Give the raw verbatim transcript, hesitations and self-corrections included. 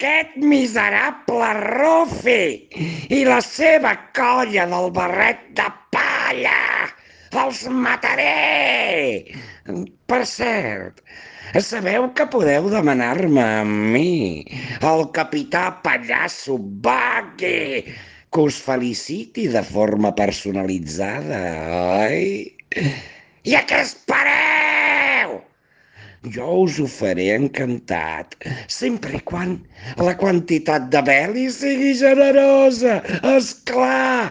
aquest miserable Rufi i la seva colla del barret de palla. Els mataré! Per cert, sabeu que podeu demanar-me a mi, el capità Pallasso Bagui, que us feliciti de forma personalitzada, oi? I a què espereu? Jo us ho faré encantat, sempre i quan la quantitat de Beli sigui generosa, és clar!